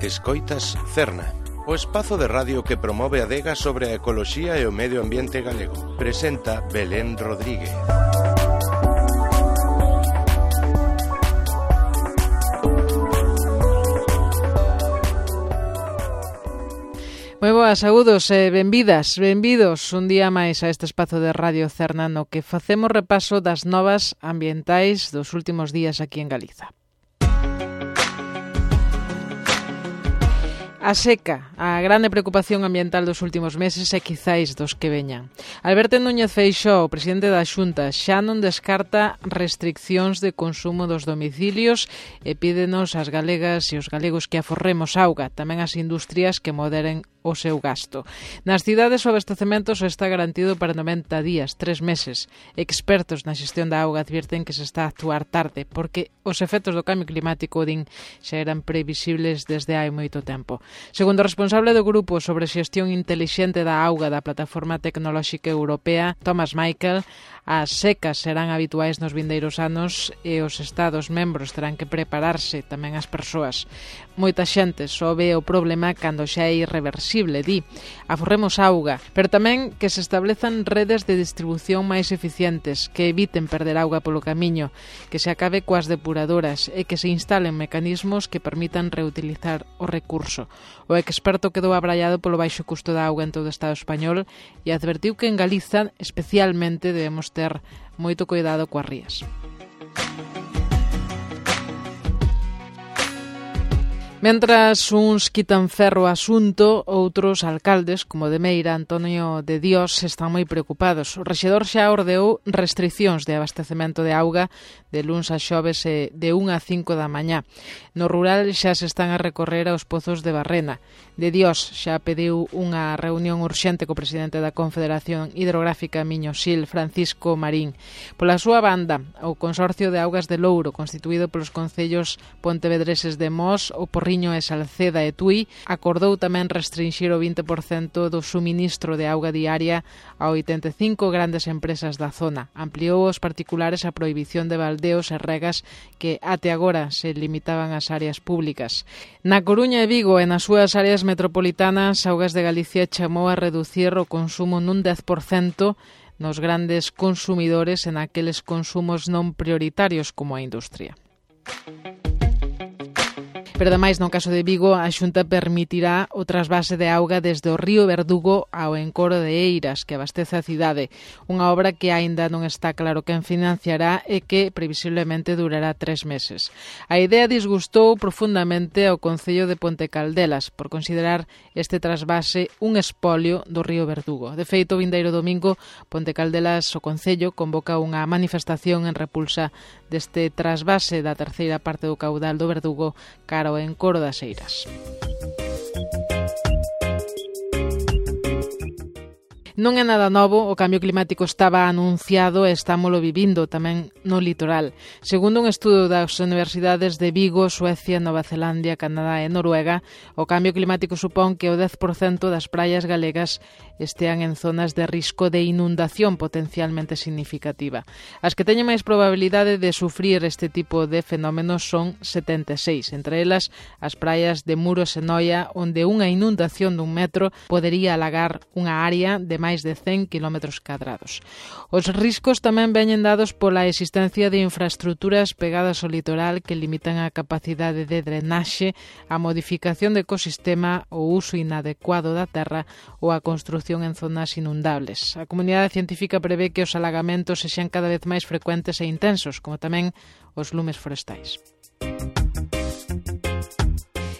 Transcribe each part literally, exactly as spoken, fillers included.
Escoitas Cerna, o espazo de radio que promove a adega sobre a ecoloxía e o medio ambiente galego. Presenta Belén Rodríguez. Moi boas, saúdos e benvidas, benvidos un día máis a este espazo de Radio Cerna no que facemos repaso das novas ambientais dos últimos días aquí en Galiza. A seca, a grande preocupación ambiental dos últimos meses e quizáis dos que veñan. Alberto Núñez Feixóo, presidente da Xunta, xa non descarta restriccións de consumo dos domicilios e pídenos ás galegas e os galegos que aforremos auga, tamén as industrias que moderen o seu gasto. Nas cidades o abastecemento só está garantido para noventa días, tres meses. Expertos na xestión da auga advirten que se está a actuar tarde, porque os efectos do cambio climático, din, xa eran previsibles desde hai moito tempo. Segundo o responsable do Grupo sobre Xestión Intelixente da Auga da Plataforma Tecnolóxica Europea, Thomas Michael, as secas serán habituais nos vindeiros anos e os Estados membros terán que prepararse, tamén as persoas. Moita xente só ve o problema cando xa é irreversible, di. Aforremos auga, pero tamén que se establezan redes de distribución máis eficientes, que eviten perder auga polo camiño, que se acabe coas depuradoras e que se instalen mecanismos que permitan reutilizar o recurso. O experto quedou abraiado polo baixo custo da auga en todo o Estado español e advertiu que en Galiza, especialmente, debemos ter moito cuidado coas rías. Mentras uns quitan ferro ao asunto, outros alcaldes, como de Meira, Antonio de Dios, están moi preocupados. O rexedor xa ordeou restriccións de abastecemento de auga de luns a xoves e de unha a cinco da mañá. No rural xa se están a recorrer aos pozos de Barrena. De Dios xa pediu unha reunión urxente co presidente da Confederación Hidrográfica Miño-Sil, Francisco Marín. Pola súa banda, o Consorcio de Augas de Louro, constituído polos concellos pontevedreses de Mos, o Porriño e Salceda e Tui, acordou tamén restringir o vinte por cento do suministro de auga diaria a oitenta e cinco grandes empresas da zona. Ampliou aos particulares a prohibición de baldeos e regas que até agora se limitaban ás áreas públicas. Na Coruña e Vigo e nas súas áreas metropolitanas, Augas de Galicia chamou a reducir o consumo nun dez por cento nos grandes consumidores e naqueles consumos non prioritarios como a industria. Pero, ademais, no caso de Vigo, a Xunta permitirá o trasvase de auga desde o río Verdugo ao encoro de Eiras, que abastece a cidade. Unha obra que aínda non está claro quen financiará e que, previsiblemente, durará tres meses. A idea disgustou profundamente ao Concello de Ponte Caldelas por considerar este trasvase un espolio do río Verdugo. De feito, o vindeiro domingo, Ponte Caldelas, o Concello, convoca unha manifestación en repulsa deste trasvase da terceira parte do caudal do Verdugo cara ao encoro das Eiras. Non é nada novo, o cambio climático estaba anunciado e estámolo vivindo tamén no litoral. Segundo un estudo das universidades de Vigo, Suecia, Nova Zelandia, Canadá e Noruega, o cambio climático supón que o dez por cento das praias galegas estean en zonas de risco de inundación potencialmente significativa. As que teñen máis probabilidade de sufrir este tipo de fenómenos son setenta e seis, entre elas as praias de Muros e Noia, onde unha inundación dun metro podería alagar unha área de máis de cen kilómetros cadrados. Os riscos tamén veñen dados pola existencia de infraestruturas pegadas ao litoral que limitan a capacidade de drenaxe, a modificación do ecosistema, o uso inadecuado da terra ou a construción en zonas inundables. A comunidade científica prevé que os alagamentos sexan cada vez máis frecuentes e intensos, como tamén os lumes forestais.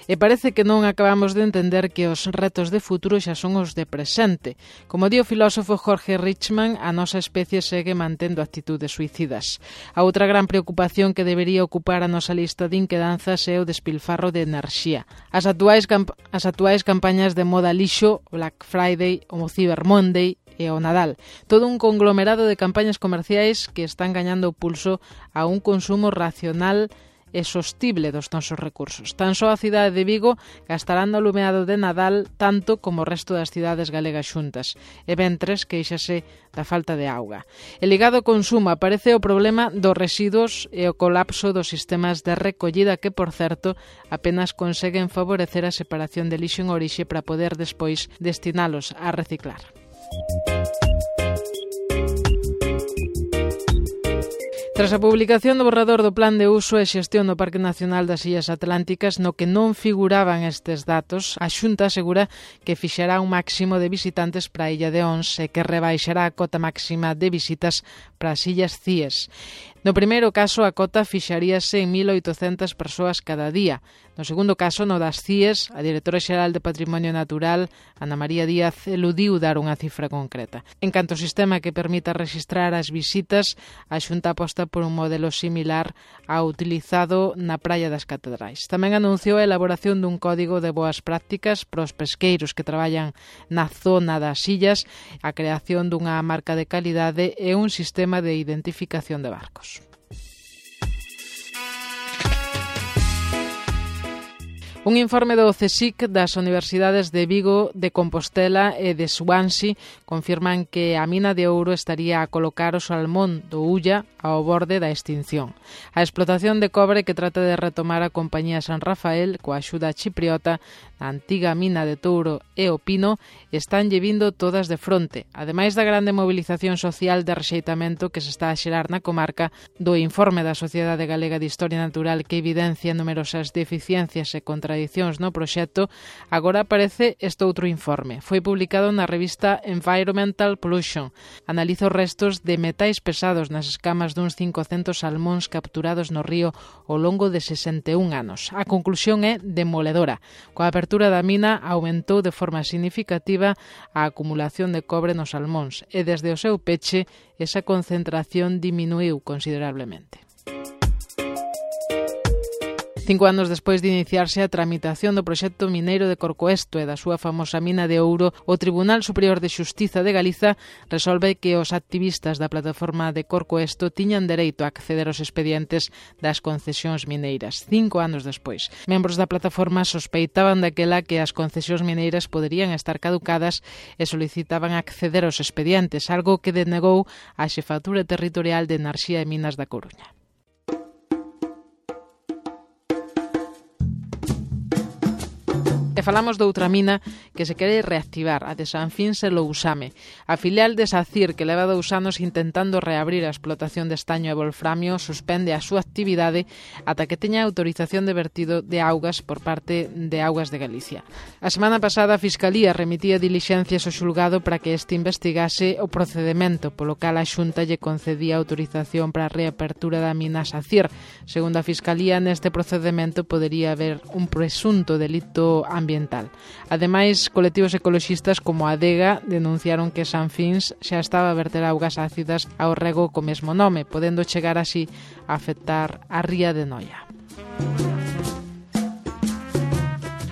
E parece que non acabamos de entender que os retos de futuro xa son os de presente. Como di o filósofo Jorge Richman, a nosa especie segue mantendo actitudes suicidas. A outra gran preocupación que debería ocupar a nosa lista de inquedanzas é o despilfarro de enerxía. As actuais, camp- as actuais campañas de moda lixo, o Black Friday, o Cyber Monday e o Nadal. Todo un conglomerado de campañas comerciais que están gañando o pulso a un consumo racional e sostible dos nosos recursos. Tan só a cidade de Vigo gastará no alumeado de Nadal tanto como o resto das cidades galegas xuntas, e ventres queixase da falta de auga. E ligado ao consumo aparece o problema dos residuos e o colapso dos sistemas de recollida que, por certo, apenas conseguen favorecer a separación de lixo en orixe para poder despois destinalos a reciclar. Tras a publicación do borrador do Plan de Uso e Xestión do Parque Nacional das Illas Atlánticas, no que non figuraban estes datos, a Xunta asegura que fixará un máximo de visitantes para a Illa de Ons e que rebaixará a cota máxima de visitas para as Illas Cíes. No primeiro caso, a cota fixaríase en mil oitocentas persoas cada día. No segundo caso, no das Cíes, a directora xeral de Patrimonio Natural, Ana María Díaz, eludiu dar unha cifra concreta. En canto ao sistema que permita registrar as visitas, a Xunta aposta por un modelo similar ao utilizado na Praia das Catedrais. Tamén anunciou a elaboración dun código de boas prácticas para os pesqueiros que traballan na zona das illas, a creación dunha marca de calidade e un sistema de identificación de barcos. Un informe do CSIC das Universidades de Vigo, de Compostela e de Swansea confirman que a mina de ouro estaría a colocar o salmón do Ulla ao borde da extinción. A explotación de cobre que trata de retomar a compañía San Rafael coa axuda chipriota na antiga mina de Touro e o Pino están lle vindo todas de fronte. Ademais da grande movilización social de rexeitamento que se está a xerar na comarca, do informe da Sociedade Galega de Historia Natural que evidencia numerosas deficiencias e contradicións no proxecto, agora aparece este outro informe. Foi publicado na revista Environmental Pollution. Analiza os restos de metais pesados nas escamas duns cincocentos salmóns capturados no río ao longo de sesenta e un anos. A conclusión é demoledora. Coa apertura da mina aumentou de forma significativa a acumulación de cobre nos salmóns e desde o seu peche esa concentración diminuiu considerablemente. Cinco anos despois de iniciarse a tramitación do proxecto mineiro de Corcoesto e da súa famosa mina de ouro, o Tribunal Superior de Xustiza de Galiza resolve que os activistas da plataforma de Corcoesto tiñan dereito a acceder aos expedientes das concesións mineiras. Cinco anos despois. Membros da plataforma sospeitaban daquela que as concesións mineiras poderían estar caducadas e solicitaban acceder aos expedientes, algo que denegou a Xefatura Territorial de Enerxía e Minas da Coruña. E falamos doutra mina que se quere reactivar, a de Sanfins e Lousame. A filial de SACIR, que leva dous anos intentando reabrir a explotación de estaño e wolframio, suspende a súa actividade ata que teña autorización de vertido de augas por parte de Augas de Galicia. A semana pasada a Fiscalía remitía dilixencias ao xulgado para que este investigase o procedemento, polo cal a Xunta lle concedía autorización para a reapertura da mina SACIR. Segundo a Fiscalía, neste procedemento podería haber un presunto delito ambiental ambiental. Ademais, colectivos ecoloxistas como a Adega denunciaron que Sanfins xa estaba a verter augas ácidas ao rego co mesmo nome, podendo chegar así a afectar a ría de Noia.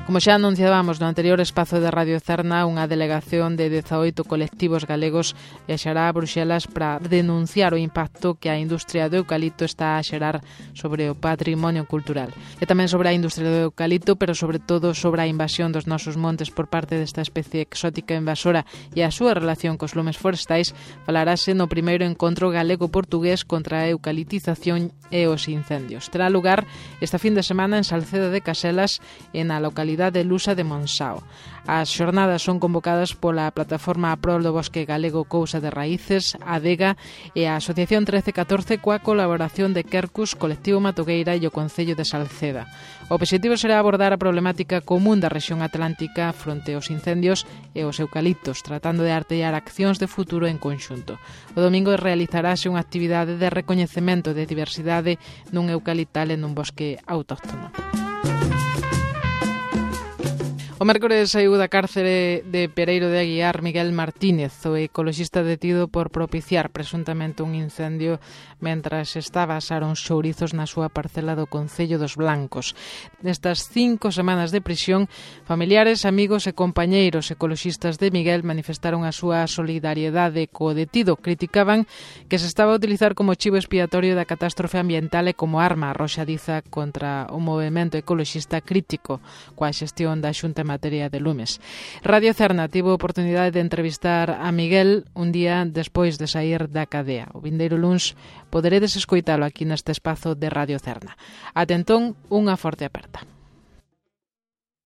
Como xa anunciábamos no anterior espazo de Radio Cerna, unha delegación de dezaoito colectivos galegos viaxará a Bruxelas para denunciar o impacto que a industria do eucalipto está a xerar sobre o patrimonio cultural. E tamén sobre a industria do eucalipto, pero sobre todo sobre a invasión dos nosos montes por parte desta especie exótica invasora e a súa relación cos lumes forestais, falarase no primeiro encontro galego-portugués contra a eucaliptización e os incendios. Terá lugar esta fin de semana en Salceda de Caselas e na localidade de Lusa de Monsao. As xornadas son convocadas pola Plataforma a Prol do Bosque Galego Cousa de Raíces, a Adega e a Asociación trece catorce coa colaboración de Quercus, Colectivo Matogueira e o Concello de Salceda. O obxectivo será abordar a problemática común da rexión atlántica fronte aos incendios e os eucaliptos, tratando de artellar accións de futuro en conxunto. O domingo realizarase unha actividade de recoñecemento de diversidade nun eucaliptal e nun bosque autóctono. O mércores saiu da cárcere de Pereiro de Aguiar Miguel Martínez, o ecoloxista detido por propiciar presuntamente un incendio mentras estaba a asar uns chourizos na súa parcela do Concello dos Blancos. Nestas cinco semanas de prisión, familiares, amigos e compañeiros ecoloxistas de Miguel manifestaron a súa solidariedade co detido. Criticaban que se estaba a utilizar como chivo expiatorio da catástrofe ambiental e como arma arroxadiza contra o movemento ecoloxista crítico coa xestión da Xunta en materia de lumes. Radio Cerna tivo a oportunidade de entrevistar a Miguel un día despois de sair da cadea. O vindeiro luns poderedes escoitalo aquí neste espazo de Radio Cerna. Ate entón, unha forte aperta.